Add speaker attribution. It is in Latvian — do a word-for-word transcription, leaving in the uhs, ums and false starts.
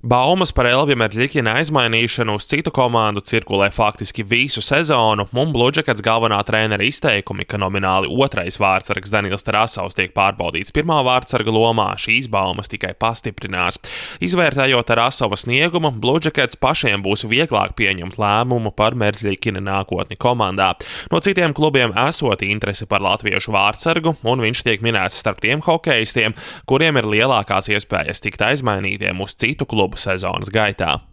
Speaker 1: Baumas par Elvija Merzlikina aizmainīšanu uz citu komandu cirkulē faktiski visu sezonu, un Blue Jackets galvenā trenera izteikumi, ka nomināli otrais vārtsargs Daniels Tarasovs tiek pārbaudīts pirmā vārtsarga lomā, šīs baumas tikai pastiprinās. Izvērtējot Tarasova sniegumu, Blue Jackets pašiem būs vieglāk pieņemt lēmumu par Merzlikina nākotni komandā. No citiem klubiem esot interesi par latviešu vārtsargu, un viņš tiek minēts starp tiem hokejistiem, kuriem ir lielākās iespējas tikt aizmainītiem uz citu klubu sezonas gaitā.